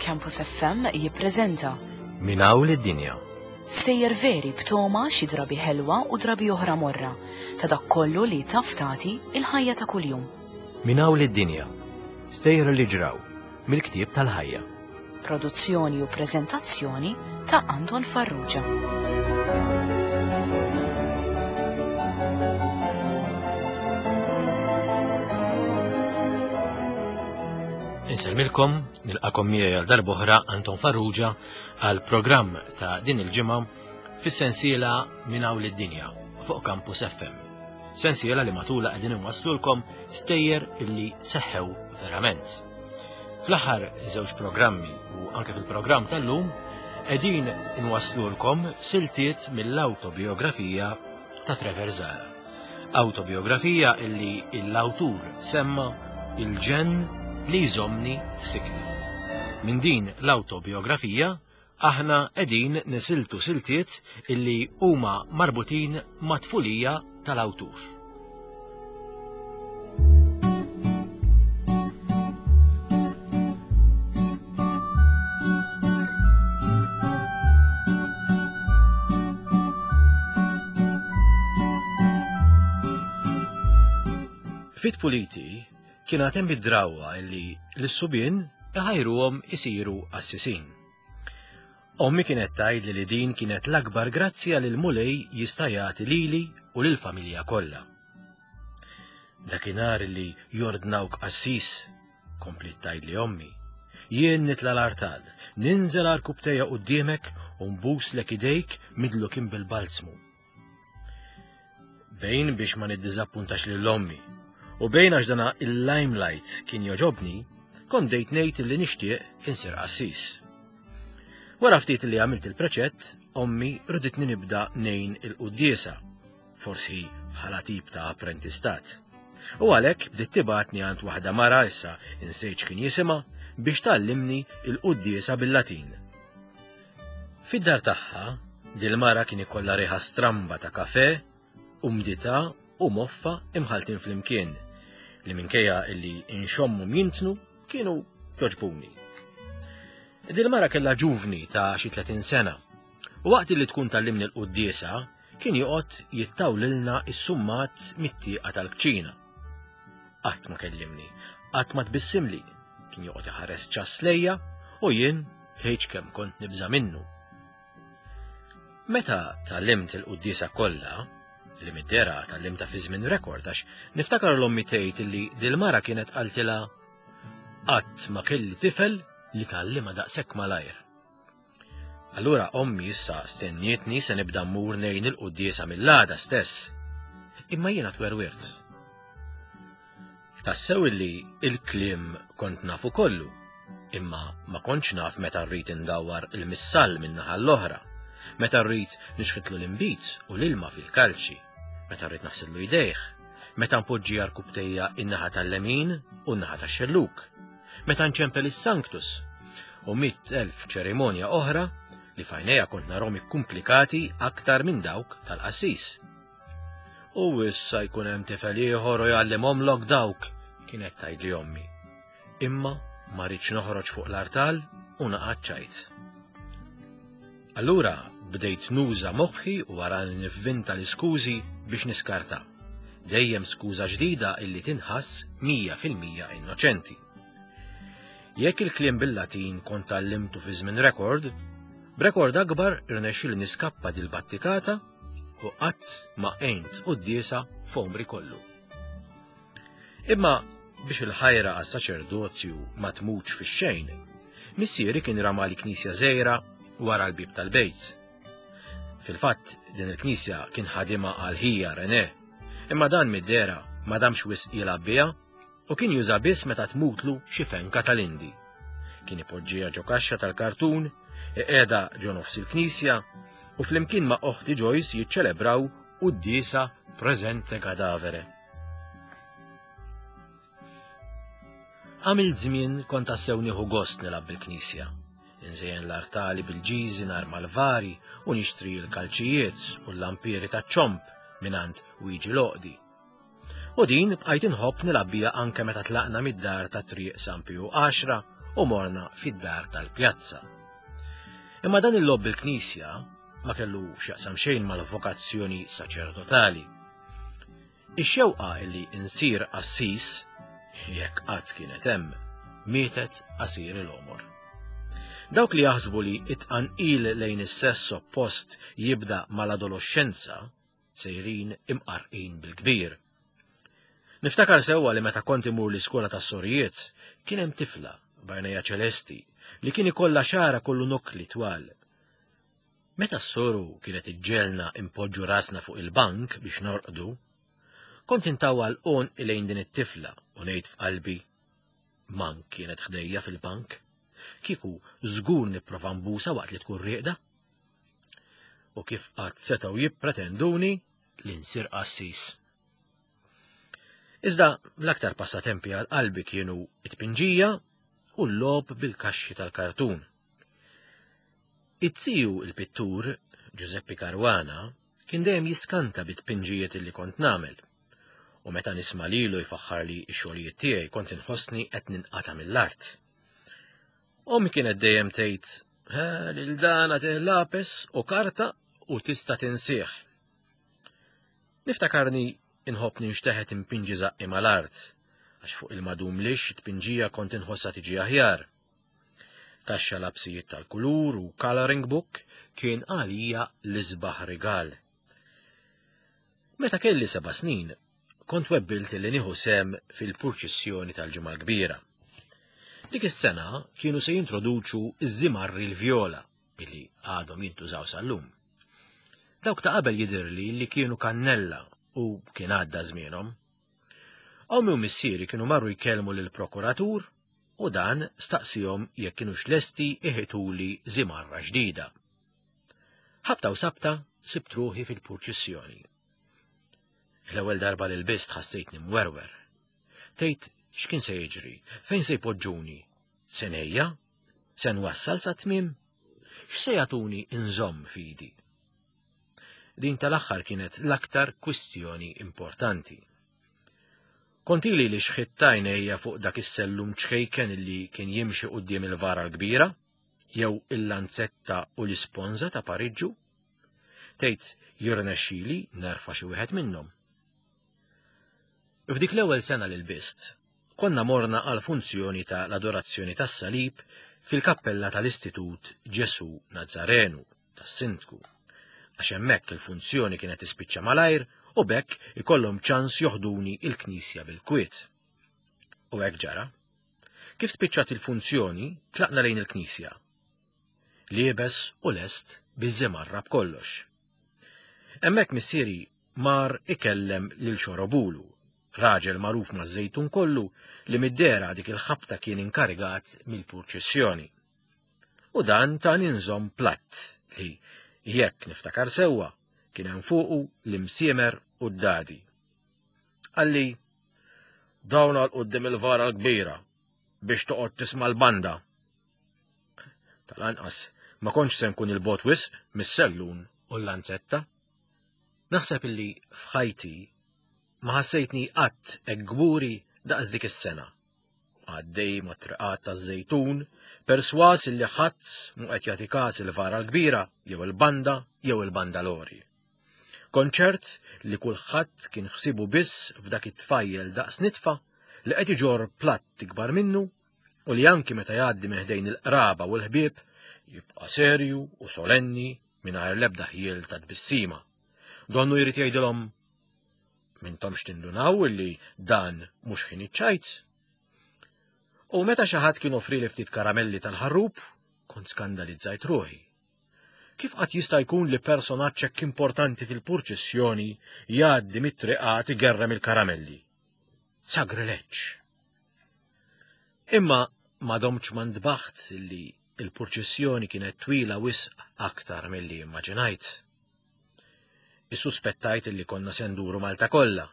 Campus FM jippreżenta Minn hawn lid-dinja. Sejjer veri b'toma xi drabi ħelwa u drabi oħra morra ta' dak kollu li taf tagħti il-ħajja ta' kuljum. Minn hawn lid-dinja. Stejjer li ġraw mill-ktieb tal-ħajja. Produzzjoni u preżentazzjoni ta' Anton Farrugia. Insellmilkom, nilqakom miegħi għal darb'oħra Anton Farrugia għal programm ta' din il-ġimgħa fis-sensiela Minn hawn lid-dinja fuq Campus FM. Sensiela li matula qegħdin inwasslulkom stejjer illi seħħew verament. Fl-aħħar żewġ programmi u anke fil-programm tal-lum qegħdin inwasslulkom siltiet mill-awtobiografija ta' Trevor Zara. Awtobiografija illi l-awtur semma il-ġenn li jżommni f'sikti. Minn din l-awtobiografija aħna qegħdin nisiltu siltiet illi huma marbutin ma' tfulija tal-awtur. Fit puliti kien għad hemm id-drawwa illi l-subien iħajruhom isiru qassisin. Ommi kienet tgħidli li din kienet l-akbar grazzja li l-Mulej jista' jagħti lili u lill-familja kollha. Dakinhar li jordnawk qassis, kompliet tgħidli ommi, jien nitla' l-artal, ninżel għarkupptejja quddiemek u nbuslek idejk midlukin bil-balzmu. Bejn biex ma niddiżappuntax lil ommi u bejn għax dana il-limelight kien joġobni, kont dejt ngħid li nixtieq insir qassis. Wara ftit li għamilt il-preċett, ommi riditni nibda nejn il-quddiesa, forsi bħala tip ta' apprentistat. U għalhekk bdiet tibgħatni għand waħda mara issa insejt x'kien jisimha biex tgħallimni il-quddiesa bil-Latin. Fid-dar tagħha, dil-mara kien ikollha riħa stramba ta' kafè, umdità u moffa imħalltin flimkien, li minkejja illi inxommhom jintnu kienu jogħġbuni. Dil-mara kellha ġuvni ta' xi 30 sena, u waqt li tkun tgħallimni l-quddiesa, kien joqgħod jittawlilna s-summat mit-tieqa tal-kċina. Qatt ma kellimni, qatt ma tbissimli, kien joqgħod iħares ċass lejja u jien tgħidx kemm kont nibża' minnu. Meta tgħallimt il-quddiesa kollha, li mid-dera tgħallimtha fi żmien rekord għax niftakar l-ommi tgħid li dil-mara kienet qaltilha qatt ma kelli tifel li tgħallimha daqshekk malajr. Allura ommi issa stennietni se nibda mmur ngħin il-quddiesa mill-għada stess. Imma jiena twerwirt. Tassew illi il-kliem kont nafu kollu, imma ma kontx naf meta rrid indawwar il-missall min-naħa l-oħra, meta rrid nixħitlu l-inbid u l-ilma fil-kalċi, meta rrid naħsillu jdejh, meta npoġġi għarkupptejja in-naħa tal-lemin u n-naħa tax-xellug. Meta nċempel is-Sanctus u 100,000 ċerimonja oħra li f'għajnejja kont narhom ikkumplikati aktar minn dawk tal-qassis. U issa jkun hemm tifel ieħor u jgħallimhomlok dawk, kienet tgħidli ommi. Imma ma rridx noħroġ fuq l-artal u naqa' ċajt. Allura bdejt nuża moħħi u wara nivvinta l-iskużi biex niskarta. Dejjem skuża ġdida illi tinħass 100% innoċenti. Jekk il-kliem bil-Latin kont tgħallimtu fi żmien rekord, b'rekord akbar irnexxieli niskappa dil-battikata u qatt ma għint quddiesa f'għomri kollu. Imma biex il-ħajra għas-saċerdozju ma tmutx fix-xejn, missieri kien ramali knisja żgħira wara l-bieb tal-bejt. Fil-fatt, din il-knisja kien ħadimha għal ħija René, imma dan mid-dehra ma damx wisq jilgħab biha u kien juża biss meta tmutlu xi fenka tal-Indi. Kien ipoġġiha ġo kaxxa tal-kartun, iqiegħda ġo nofs il-knisja u flimkien ma' oħti Joyce jiċċelebraw quddiesa presente cadavere. Għamilt żmien kont tassew nieħu gost nilgħab bil-knisja. Inżejjen l-artali bil-ġiżi narma l-vari u nixtri l-kalċijiet u l-lampieri taċ-ċomb mingħand Wiġi l-Għoqdi. U din bqajt inħobb nilgħab biha anke meta tlaqna mid-dar ta' Triq San Piju Għaxra u morna fid-dar tal-pjazza. Imma dan il-logħob bil-knisja ma kellu x'jaqsam xejn mal-vokazzjoni saċerdotali. Ix-xewqa li insir qassis, jekk qatt kienet hemm, mietet qasir il-għomor. Dawk li jaħsbu li it-tqanqil lejn is-sess oppost jibda mal-adoloxxenza sejrin imqarrqin bil-kbir. Niftakar sewwa li meta kont imur l-iskola tas-sorijiet kien hemm tifla b'għajnejha ċelesti li kien ikollha xagħarha kollu nokkli twal. Meta s-soru kienet iġġegħelna inpoġġu rasna fuq il-bank biex norqdu, kont intawwal għonqi lejn din it-tifla u ngħid f'qalbi, Mank kienet ħdejja fil-bank, kieku żgur nipprova nbusha waqt li tkun rieqda. U kif qatt setgħu jippretenduni li nsir qassis. Iżda l-aktar passatempi għal qalbi kienu it-tpinġija u l-logħob bil-kaxxi tal-kartun. It-tiju il-pittur, Giuseppe Caruana, kien dejjem jiskanta bit-tpinġijiet li kont nagħmel. U meta nisma' lilu jfaħħarli x-xogħlijiet tiegħi kont inħossni qed ninqata' mill-art. Ommi kienet dejjem tgħid, lil dan għatih lapes u karta u tista' tinsih. Niftakarni inħobb ninxteħet impinġi żaqqi mal-art, għax fuq il-madum lix it-tpinġija kont inħossha tiġi aħjar. Kaxxa lapsijiet tal-kulur u coloring book kien għalija l-isbaħ rigal. Meta kelli seba' snin, kont webbilt li nieħu sehem fil-purċissjoni tal-Ġimgħa l-Kbira. Dik is-sena kienu se jintroduċu ż-żimarri l-vjola billi għadhom jintużaw sal-lum. Dawk ta' qabel jidhirli li kienu kannella u kien għadda żmienhom. Ommi u missieri kienu marru jkellmu lill-prokuratur u dan staqsihom jekk kinux lesti iħituli żimarra ġdida. Ħabta u sabta sibt ruħi fil-purċissjoni. L-ewwel darba li lbist ħassejtni mwerwer. Tgħid x'kien se jiġri, fejn se jpoġġuni? Se ngħejja? Se nwassal sa tmiem? X'se jagħtuni nżomm f'idi? Din tal-aħħar kienet l-aktar kwistjoni importanti. Kont ili li xħitt għajnejja fuq dak is-sellum ċkejken li kien jimxi quddiem il-vara l-kbira, jew il-lanzetta u l-isponża ta' pariġġu. Tgħid jirnexxili nerfa' xi wieħed minnhom. F'dik l-ewwel sena li lbist, konna morna għall-funzjoni ta' l-adorazzjoni tas-salib fil-kappella tal-Istitut Ġesù Nazzarenu tas-Sindku, għax hemmhekk il-funzjoni kienet tispiċċa malajr u b'hekk ikollhom ċans joħduni il-knisja bil-kwiet. U hekk ġara. Kif spiċċat il-funzjoni, tlaqna lejn il-knisja. Liebes u lest biż-żimarra b'kollox. Hemmhekk missieri mar ikellem lil Xorobulu, raġel magħruf maż-Żejtun kollu li mid-dehra dik il-ħabta kien inkarigat mill-purċissjoni. U dan tani nżomm platt li, jekk niftakar sewwa, kien hemm fuqu l-imsiemer u d-dadi. Qalli, Dawn għal quddiem il-vara l-kbira biex toqgħod tisma' l-banda. Tal-anqas ma kontx se nkun il-bogħod wisq mis-sellun u l-lanzetta. Naħseb illi f'ħajti ma ħassejtni qatt hekk kburi daqs dik is-sena. Għaddej mat-triqat taż-Żejtun, persważ illi ħadd mhu qed jagħti każ il-vara l-kbira jew il-banda jew il-bandalori. Kont ċert li kulħadd kien ħsiebu biss f'dak it-tfajjel daqs nitfa li qed iġorr platt ikbar minnu u li anki meta jgħaddi minn ħdejn il-qraba u l-ħbieb jibqa' serju u solenni mingħajr l-ebda ħjiel ta' tbissima. Donnu jrid jgħidilhom Mintomx tindunaw illi dan mhux ħin iċ-ċajt? U meta xi ħadd kien offrili ftit karamelli tal-ħarrub, kont skandalizzajt ruħi. Kif qatt jista' jkun li personaġġ hekk importanti fil-purċissjoni jgħaddi mit-triqat igerrem il-karamelli? Sagrileġġ! Imma ma domtx ma ntbaħt li l-purċissjoni kienet twila wisq aktar milli immaġinajt. Issuspettajt li konna se nduru Malta kollha.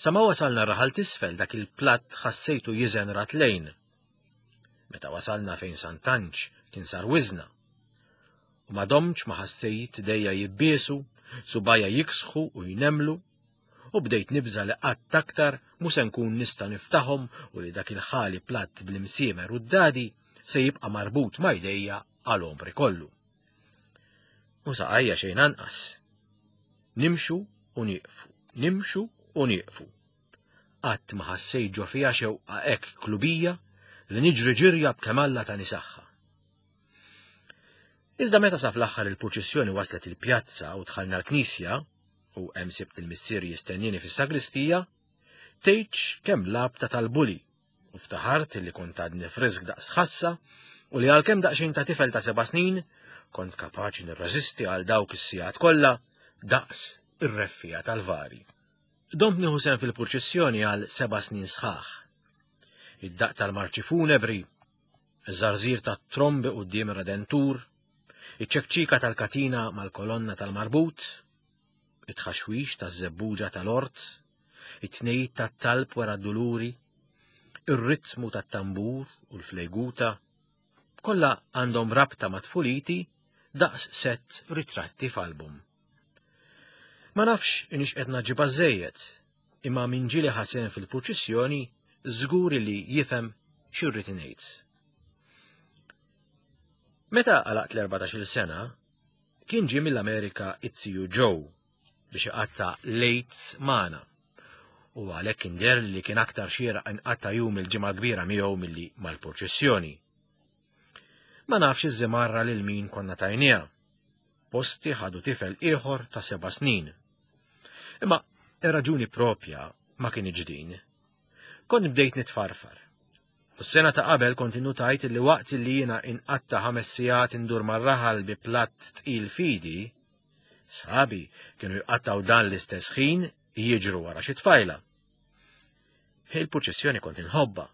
Sa ma wasalna r-raħal t'isfel dak il-platt ħassejtu jiżen ratlejn. Meta wasalna fejn Sant'Anġ kien sar wiżna. U ma domtx ma ħassejt idejja jibbiesu, subgħajja jiksħu u jnemmlu. U bdejt nibża' li qatt aktar mhu se nkun nista' niftaħhom u li dak il-ħali platt bl-imsiemer u d-dadi se jibqa' marbut ma' jdejja għal għomri kollu. U saqajja xejn anqas. Nimxu u nieqfu, nimxu u nieqfu. Qatt ma ħassejt ġo fija xewqa hekk klubija li niġri ġirja b'kemm Alla tani saħħa. Iżda meta sa fl-aħħar il-purċissjoni waslet il-pjazza u dħalna l-knisja, u hemm sibt il-missier jistennini fis-sagristija, tgħidx kemm labta tal-buli u ftaħart li kont għadni frisk daqs ħassa u li għalkemm daqsxejn ta' tifel ta' seba' snin kont kapaċi nirreżisti għal dawk is-sigħat kollha daqs ir-reffija tal-vari. Domt nieħu sehem fil-purċissjoni għal seba' snin sħaħ. Id-daqq tal-marċi funebri, iż-żarżir tat-trombi quddiem ir-Redentur, iċ-ċekċika tal-katina mal-kolonna tal-marbut, it-tħaxwix taż-żebbuġa tal-ort, it-tnejjid tat-talb wara d-duluri, ir-ritmu tat-tambur u l-flejguta, kollha għandhom rabta ma' tfuliti daqs sett ritratti f'album. Ma nafx inix qed naġibha żejjed, imma min ġieli ħasen fil-purċissjoni żgur li jifhem x'irrid ngħid. Meta għalaqt l-14-il sena, kien ġie mill-Amerika it-ziju Joe biex iqatta' l-Għid magħna u għalhekk kien deher li kien aktar xieraq inqatta' jum il-Ġimgħa l-Kbira miegħu milli mal-purċissjoni. Ma nafx iż-żimarra lil min konna tajniha. Posti ħadu tifel ieħor ta' seba' snin. Imma ir-raġuni propja ma kinitx din. Kont bdejt nitfarfar. U s-sena ta' qabel kont innutajt li waqt li jiena inqatta' ħames sigħat indur mar-raħal bi platt tqil f'idi, sħabi kienu jqattgħu dan l-istess ħin jiġru wara xi tfajla. Il-purċissjoni kont inħobbha,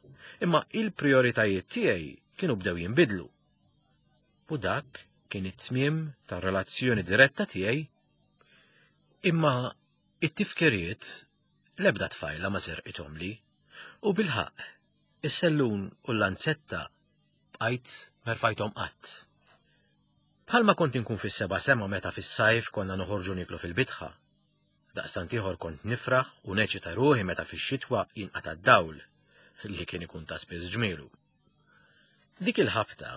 imma il-prijoritajiet tiegħi kienu bdew jinbidlu. U dak kien it-tmiem tar-relazzjoni diretta tiegħi imma it-tifkiriet L-ebda tfajla ma serqithomli, u bilħaqq, is-sellun u l-lanzetta bqajt m'erfajthom qatt. Bħalma kont inkun fis-seba' sema meta fis-sajf konna noħorġu nieklu fil-bitħa. Daqstant ieħor kont nifraħ u neċita ruħi meta fix-xitwa jinqata' d-dawl, li kien ikun ta' spiss ġmielu. Dik il-ħabta,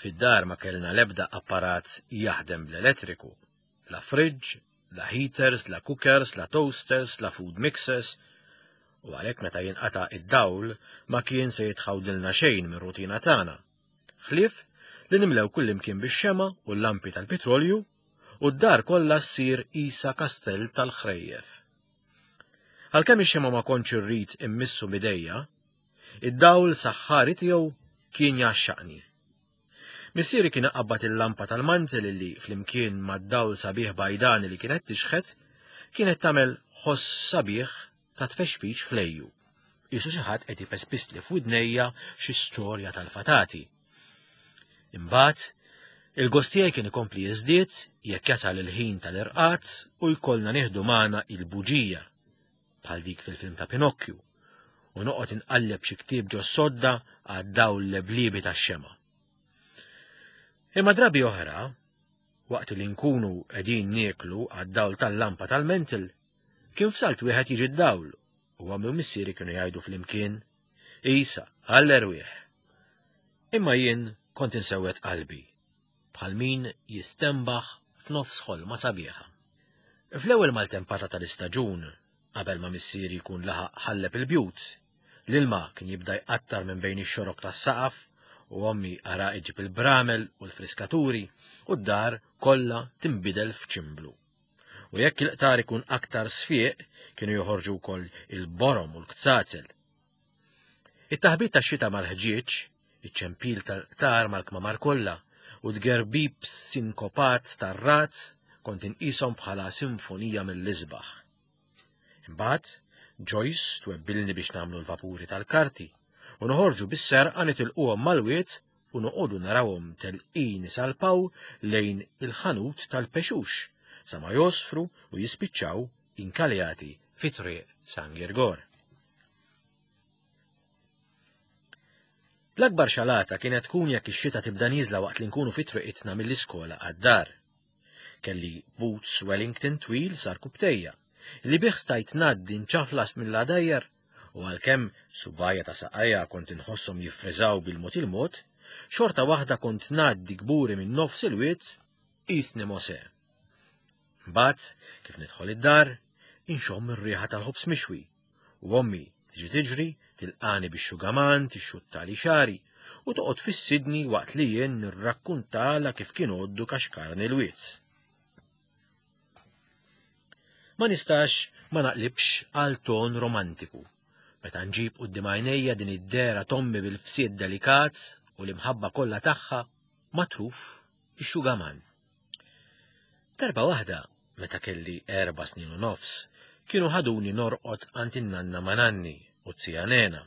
fid-dar ma kellna l-ebda apparat jaħdem bl-elettriku, la fridge, la heaters, la cookers, la toasters, la food mixers, u għalhekk meta jinqata' id-dawl ma kien se jitħawdilna xejn mir-rutina tagħna. Ħlief li nimlew kullimkien bix-xema u l-lampi tal-pitrolju u d-dar kollha ssir isa kastell tal-ħrejjef. Għalkemm ix-xema ma kontx irrid immissu b'idejja, id-dawl saħħari tiegħu kien jgħaxxaqni. Missieri kien iqabbad il-lampa tal-mantel li, flimkien mad-dawl sabiħ bajdani li kienet tixħet, kienet tagħmel ħoss sabiħ ta' tfexfix ħlejju. Qisu xi ħadd qed ipespisli f'widnejja xi storja tal-fatati. Imbagħad, il-gost tiegħi kien ikompli jiżdied jekk jasal il-ħin tal-irqad u jkollna nieħdu magħna il-buġija, bħal dik fil-film ta' Pinokkju, u noqgħod inqalleb xi ktieb ġo sodda għad-dawl lebliebi tax-xemgħa. Imma drabi oħra, waqt li nkunu qegħdin nieklu għad-dawl tal-lampa tal-mentil, kien f'salt wieħed jiġi d-dawl u ommi u missieri kienu jgħidu flimkien, Isa, għall-erwieħ. Imma jien kont insewwed qalbi, bħal min jistenbaħ f'nofs ħolma sabiħa. Fl-ewwel maltempata tal-istaġun, qabel ma missieri jkun laħaq ħalleb il-bjut, l-ilma kien jibda jqattar minn bejn ix-xorok tas-saqaf u ommi ara iġġib il-bramel u l-friskaturi u d-dar kollha tinbidel f'ċimblu. U jekk il-qtar ikun aktar sfiq, kienu joħorġu wkoll il-borom u l-kzazel. It-taħbit tax-xita mal-ħġieġ, iċ-ċempil tal-qtar mal-kmamar kollha u t-tgerbib sinkopat tar-ragħad kont inqishom bħala sinfonija mill-isbaħ. Imbagħad, Joyce twebbilni biex nagħmlu l-vapuri tal-karti u noħorġu bis-serqa nitilquhom mal-wied u noqogħdu narawhom telqin isalpaw lejn il-ħanut tal-pexux sa ma jgħosfru u jispiċċaw inkaljati fi triq San Girgor. L-akbar xalata kienet tkun jekk ix-xita tibda nieżla waqt li nkunu fi triqitna mill-iskola għad-dar. Kelli boots Wellington twil sar kubtejja. li bih stajt ngħaddi nċaflas mill-għadajjar u għalkemm subgħajja ta' saqajja kont inħosshom jiffriżaw bil-mod il-mod, xorta waħda kont ngħaddi kburi minn nofs il-wied qisni Mosè. Mbagħad, kif nidħol id-dar, inxomm ir-riħa tal-ħobż mixwi u ommi tiġi tiġri tilqani bix-xugaman tixxuttali xagħri u toqgħod fissidni waqt li jien nirrakkuntalha kif kien għoddu kaxkarni l-wied. Ma nistax ma naqlibx għal ton romantiku meta nġib quddiem għajnejja din id-dehra t'ommi bil-fsied delikat u l-imħabba kollha tagħha matruf ix-xugaman. Darba waħda, meta kelli erba' snin u nofs, kienu ħaduni norqod għand in-nanna ma' nanni u z-zija Nena.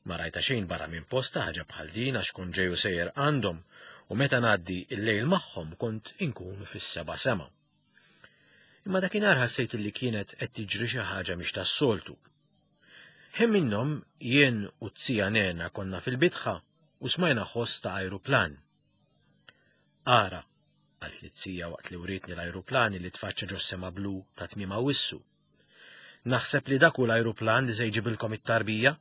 Ma rajtha xejn barra minn postha ħaġa bħal din għax kont ġej u sejjer għandhom u meta ngħaddi l-lejl magħhom kont inkun fis-seba' sema. Imma dakinhar ħassejt li kienet qed tiġri xi ħaġa mhix tas-soltu. Ħin minnhom jien u z-zija Nena konna fil-bitħa u smajna ħoss ta' ajruplan. Ara, qaltli z-zija waqt li wrietni l-ajruplan li tfaċċa ġos-sema blu ta' tmiem Awwissu. Naħseb li dak hu l-ajruplan li se jġibilkom it-tarbija.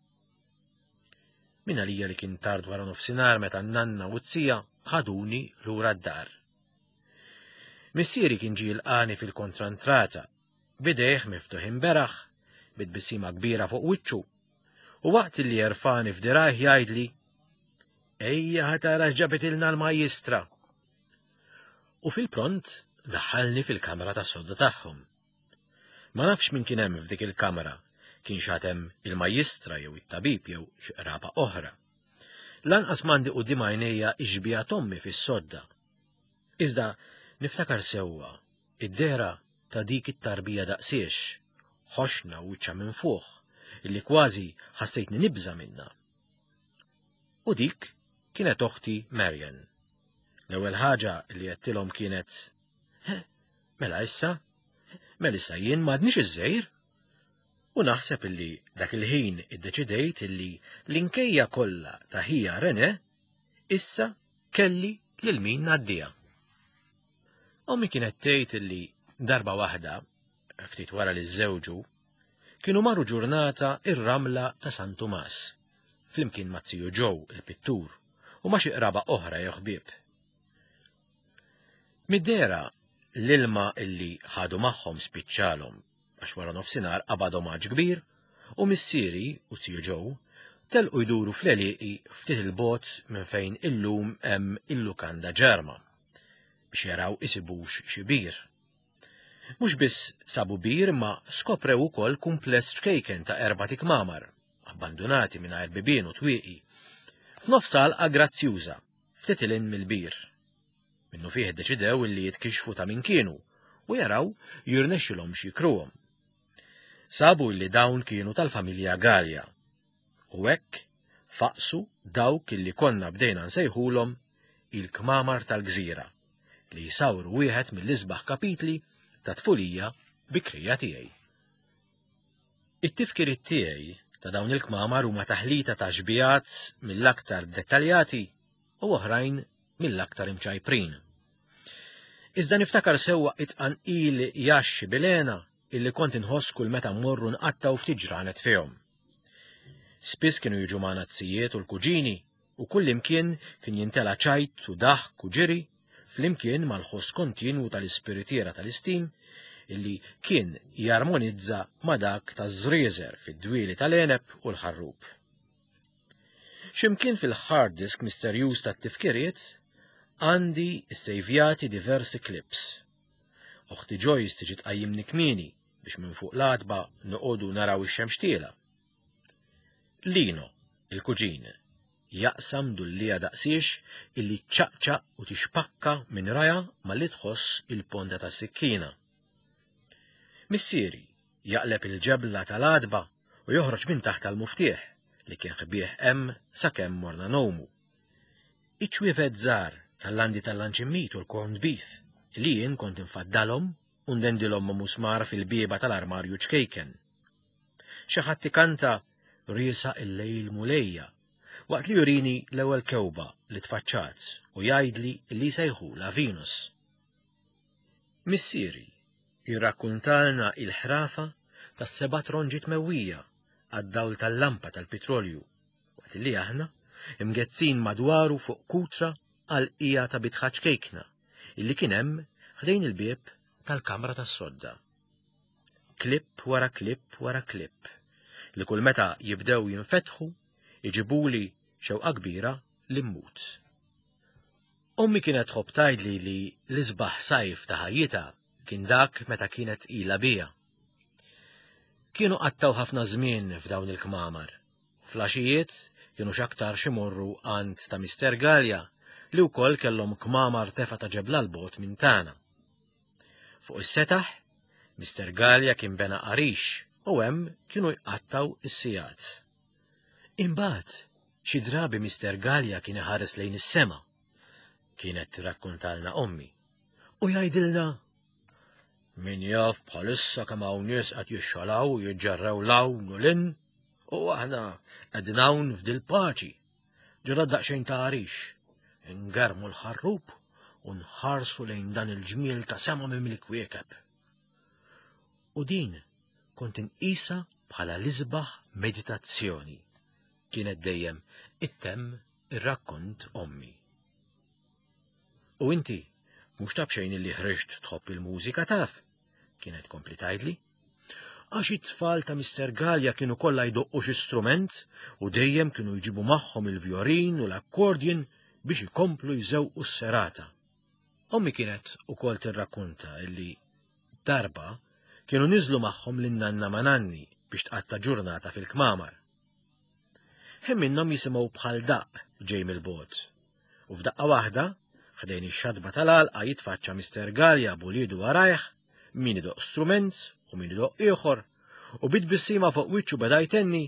Min għalija li kien tard wara nofsinhar meta n-nanna u z-zija ħaduni lura d-dar. Missieri kien ġie jilqani fil-kontrantrata, b'idejh miftuħin beraħ, bi tbissima kbira fuq wiċċu, u waqt li jerfani f'dirajh jgħidli, Ejja ħa tara x'ġabitilna l-majjistra. U fil-pront daħħalni fil-kamra tas-sodda tagħhom. Ma nafx min kien hemm f'dik il-kamra, kienx għad hemm il-majjistra jew it-tabib jew xi qraba oħra. Lanqas m'għandi quddiem għajnejja x-xbieha t'ommi fis-sodda. Iżda niftakar sewwa id-dehra ta' dik it-tarbija daqsiex, ħoxna u wiċċha minfuħ, illi kważi ħassejtni nibża' minnha. U dik kienet oħti Marian. L-ewwel ħaġa li għedtilhom kienet, Mela issa? Mela issa jien m'għadnix iż-żgħir? U naħseb illi dak il-ħin iddeċidejt illi l-inkejja kollha ta' ħija Rene issa kelli lil min ngħaddiha. Ommi kienet tgħid illi darba waħda, ftit wara li żżewġu, kienu marru ġurnata ir-ramla ta' San Tumas, flimkien ma' ziju Joe, il-pittur, u ma' xi qraba oħra jew ħbieb. Mid-dehra l-ilma illi ħadu magħhom spiċċalhom għax wara nofsinhar qabadhom għatx kbir u missieri u ziju Joe telqu jduru fl-għelieqi ftit 'il bogħod minn fejn illum hemm il-lukanda Ġerma biex jaraw isibux xi bir. Mhux biss sabu bir imma skoprew ukoll kumpless ċkejken ta' erbat ikmamar, abbandunati mingħajr bibien u twieqi, f'nofs għalqa grazzjuża, ftit 'il hinn mill-bir. Minnufih iddeċidew illi jitkixxfu ta' min kienu u jaraw jirnexxilhomx jikruhom. Sabu illi dawn kienu tal-familja Galea. U hekk faqsu dawk illi konna bdejna nsejħulhom il-kmamar tal-gżira li jsawru wieħed mill-isbaħ kapitli ta' tfulija bikrija tiegħi. It-tifkiriet tiegħi ta' dawn il-kmamar huma taħlita ta' xbigħat mill-aktar dettaljati u oħrajn mill-aktar imċajprin. Iżda niftakar sewwa it-tqanqil jaxxi bilena illi kont inħoss kull meta mmorru nqattgħu ftit ġranet fihom. Spiss kienu jiġu magħna t-sijiet u l-kuġini u kullimkien kien jintela' ċajt u daħk u ġiri flimkien mal-ħoss kontinwu tal-ispiritiera tal-istim illi kien jarmonizza ma' dak taż-żrieżer fid-dwieli tal-għeneb u l-ħarrub. X'imkien fil-hard disk misterjuż tat-tifkiriet għandi ssejvjati diversi clips. Oħti Joyce tiġi tqajjimni kmieni biex minn fuq l-għatba noqogħdu naraw ix-xemx tiela'. Lino, il-kuġin, jaqsam dulliegħa daqsiex illi ċċaqċaq u tixpakka minn rajha malli tħoss il-ponta tas-sikkina. Missieri jaqleb il-ġebla tal-għatba u joħroġ minn taħtha l-muftieħ li kien ħbieh hemm sakemm morna ngħumu. Iċ-ċwievet żgħar tal-landi tal-lanċimmit u l-corned beef li jien kont infaddalhom u ndendilhom ma' musmar fil-bieba tal-armarju ċkejken. Xi ħadd ikanta Riesaq il-lejl Mulejja waqt li jurini l-ewwel kewba li tfaċċat u jgħidli li jsejħulha Venus. Missieri. Jirrakkuntalna il-ħrafa tas-seba' tronġi tmewwija għad-dawl tal-lampa tal-pitrolju, waqt li aħna imgezzin madwaru fuq kutra għal qija ta' bitħa ċkejkna illi kien hemm ħdejn il-bieb tal-kamra tas-sodda. Klipp wara klipp wara klipp li kull meta jibdew jinfetħu iġibuli xewqa kbira li mmut. Ommi kienet tħobb tgħidli li l-isbaħ sajf ta' ħajjitha kien dak meta kienet tqila bija. Kienu qattgħu ħafna żmien f'dawn il-kmamar. Fl-għaxijiet kienu x'aktarx imorru għand ta' Mister Galea li wkoll kellhom kmamar tefa' ta' ġebla 'l bogħod minn tagħna. Fuq is-setaħ, Mister Galea kien bena għarix u hemm kienu jqattgħu s-sigħat. Imbagħad, xi drabi Mister Galea kien iħares lejn is-sema, kienet tirrakkuntalna ommi, u jgħidilna, Min jaf bħalissa kemm hawn nies qed jixxalaw u jiġġerrew 'l hawn u 'l hinn, u aħna qegħdin hawn f'dil-paċi, ġo daqsxejn ta' għarix, ingermu l-ħarrub u nħarsu lejn dan il-ġmiel ta' sema mimli kwiekeb. U din kont inqisha bħala l-isbaħ meditazzjoni, kienet dejjem ittemm ir-rakkont ommi. U inti, mhux ta' b'xejn illi ħriġt tħobb il-mużika taf, kienet tkompli tgħidli. Għax it-tfal ta' Mister Galea kienu kollha jdoqqu xi strument u dejjem kienu jġibu magħhom il-vjorin u l-accordion biex ikomplu jżewqu s-serata. Ommi kienet ukoll tirrakkunta illi darba kienu niżlu magħhom lin-nanna ma' nanni biex tqatta' ġurnata fil-kmamar. Ħin minnhom jisimgħu bħal daqq ġej mill-bogħod. U f'daqqa waħda, ħdejn ix-xatba tal-għalqa jitfaċċa Mister Galea b'uliedu warajh, min idoqq strument u min idoqq ieħor, u bi tbissima fuq wiċċu beda jtenni,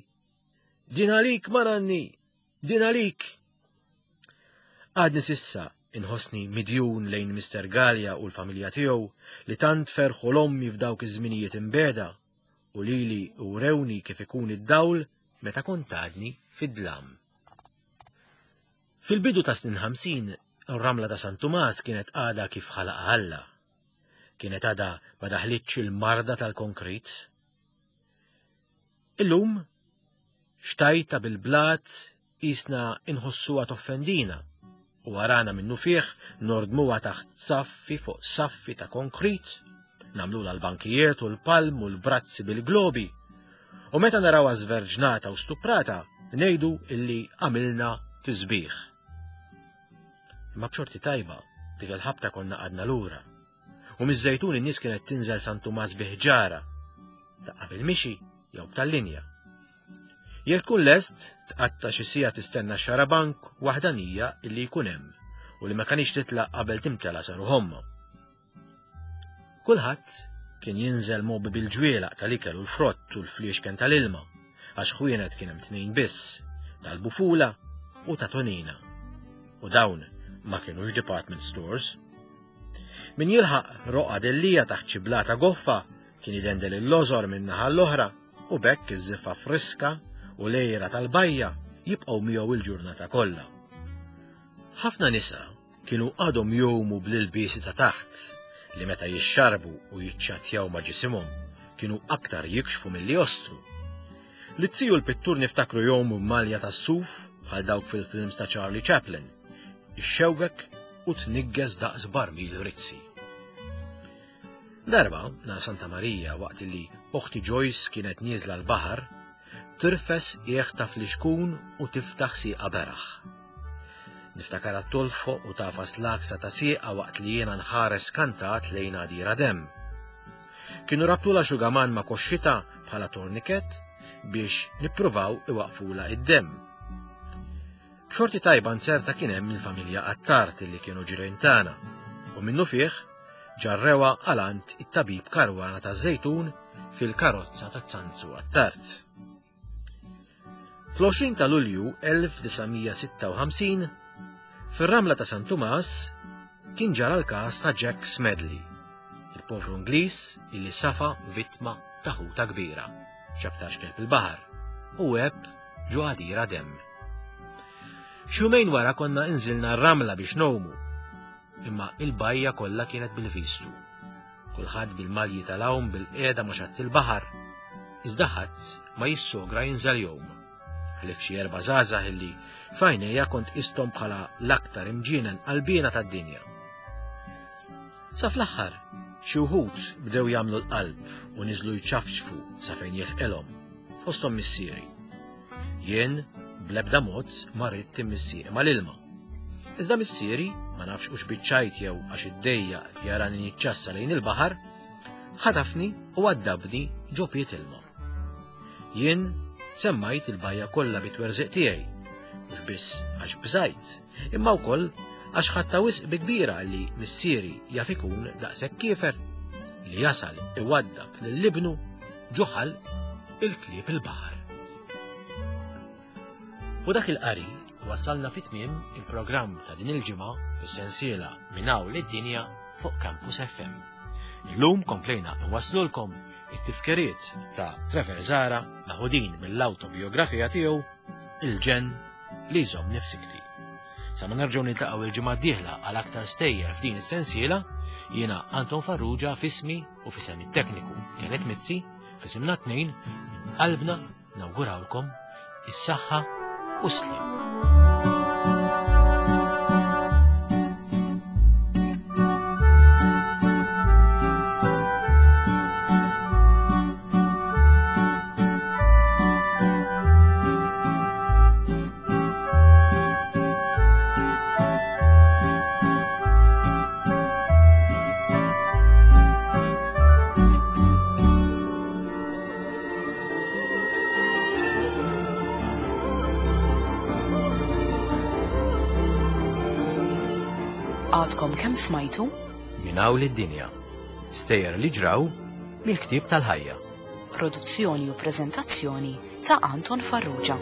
Din għalik, ma nanni! Din għalik! Għadni s'issa inħossni midjun lejn Mister Galea u l-familja tiegħu li tant ferħu l-ommi f'dawk iż-żminijiet imbiegħda u lili wrewni kif ikun id-dawl meta kont għadni fid-dlam. Fil-bidu tas-snin 50, ir-ramla ta' San Tumas kienet għadha kif ħalaqha Alla. Kienet għadha ma daħlitx il-marda tal-konkrit. Illum, xtajta bil-blat qisna inħossuha toffendina u warana minnufih nordmuha taħt saffi fuq saffi ta' konkrit, nagħmlulha l-bankijiet u l-palm u l-brazzi bil-globi. U meta narawha żverġnata u stuprata, ngħidu illi għamilna tisbieħ. Imma b'xorti tajba, dik il-ħabta konna qgħadna lura. U miż-Żejtun in-nies kienet tinżel San Tumas bi ħġara, daqqa bil-mixi jew b'tal-linja. Jekk tkun lest, tqatta' xi siegħa tistenna x-xarabank waħdanija illi jkun hemm u li ma kanix titlaq qabel timtela sa ruħ ommha. Kulħadd kien jinżel mgħobbi bil-ġwielaq tal-ikel u l-frott u l-fliexken tal-ilma, għax ħwienet kien hemm tnejn biss, tal-Bufula u ta' Tonina. U dawn ma kinux department stores. Min jilħaq roqgħa dellija taħt xi blata goffa kien idendel il-lożor minn naħa l-oħra u b'hekk iż-żiffa friska u l-għira tal-bajja jibqgħu miegħu l-ġurnata kollha. Ħafna nisa kienu għadhom jgħumu bl-ilbiesi ta' taħt li meta jixxarbu u jiċċattjaw ma' ġisimhom kienu aktar jikxfu milli jostru. Liz-ziju l-pittur niftakru jgħumu b'malja tas-suf bħal dawk fil-films ta' Charlie Chaplin, ixxewwek u tniggeż daqs barmil rizzi. Darba, nhar Santa Marija, waqt li oħti Joyce kienet nieżla l-baħar, tirfes qiegħ ta' flixkun u tiftaħ sieqa beraħ. Niftakarha tolfoq u tagħfas l-għaksa ta' sieqa waqt li jiena nħares skantat lejn għadira demm. Kienu rabtulha xugaman ma' koxxitha bħala torniket biex nippruvaw iwaqqfulha id-demm. B'xorti tajba nzerta kien hemm il-familja Attard li kienu ġirien tagħna u minnufih ġarrewha għal għand it-tabib Caruana taż-Żejtun fil-karozza ta' Zanzu Attard. Fl-20 ta' Lulju 1956, fir-ramla ta' San Tumas kien ġara l-każ ta' Jack Smedley, il-povru Ingliż illi safa vittma ta' ħuta kbira, x'aktarx kelb il-baħar, u għeb ġo għadira demm. X'jumejn wara konna inżilna r-ramla biex ngħumu, imma il-bajja kollha kienet bil-vistru. Kulħadd bil-malji tal-għawm bil-qiegħda ma' xatt il-baħar. Iżda ħadd ma jissogra jinżel jgħum. Ħlief xi erba' żgħażagħ illi f'għajnejja kont qisthom bħala l-aktar imġienen qalbiena tad-dinja. Sa fl-aħħar, xi wħud bdew jagħmlu l-qalb u niżlu jċafċfu sa fejn jilħqilhom, fosthom missieri. Jien bl-ebda mod ma ridt immissieq mal-ilma. Iżda missieri, ma nafx hux biċ-ċajt jew għax iddejjaq jarani niċċassa lejn il-baħar, ħatafni u għaddabni ġo piet ilma. Jien semmajt il-bajja kollha bit-twerżiq tiegħi, mhux biss għax bżajt, imma wkoll għax ħadtha wisq bi kbira li missieri jaf ikun daqshekk kiefer li jasal iwaddab lil ibnu ġo ħalq il-klieb il-baħar. U dak il-qari wasalna fi tmiem il-programm ta' din il-ġimgħa fis-sensiela Minn hawn lid-dinja fuq Campus FM. Illum komplejna nwaslulkom it-tifkiriet ta' Trevor Zara meħudin mill-awtobiografija tiegħu Il-ġenn li jżommni f'sikti. Sa ma nerġgħu niltaqgħu il-ġimgħa d-dieħla għal aktar stejjer f'din is-sensiela, jiena Anton Farrugia f'ismi u f'isem it-tekniku Kenneth Mizzi, f'isimna tnejn minn qalbna nawgurawlkom is-saħħa u s-sliem. Għadkom kemm smajtu? Minn hawn lid-dinja. Stejjer li ġraw mill-ktieb tal-ħajja. Produzzjoni u preżentazzjoni ta' Anton Farrugia.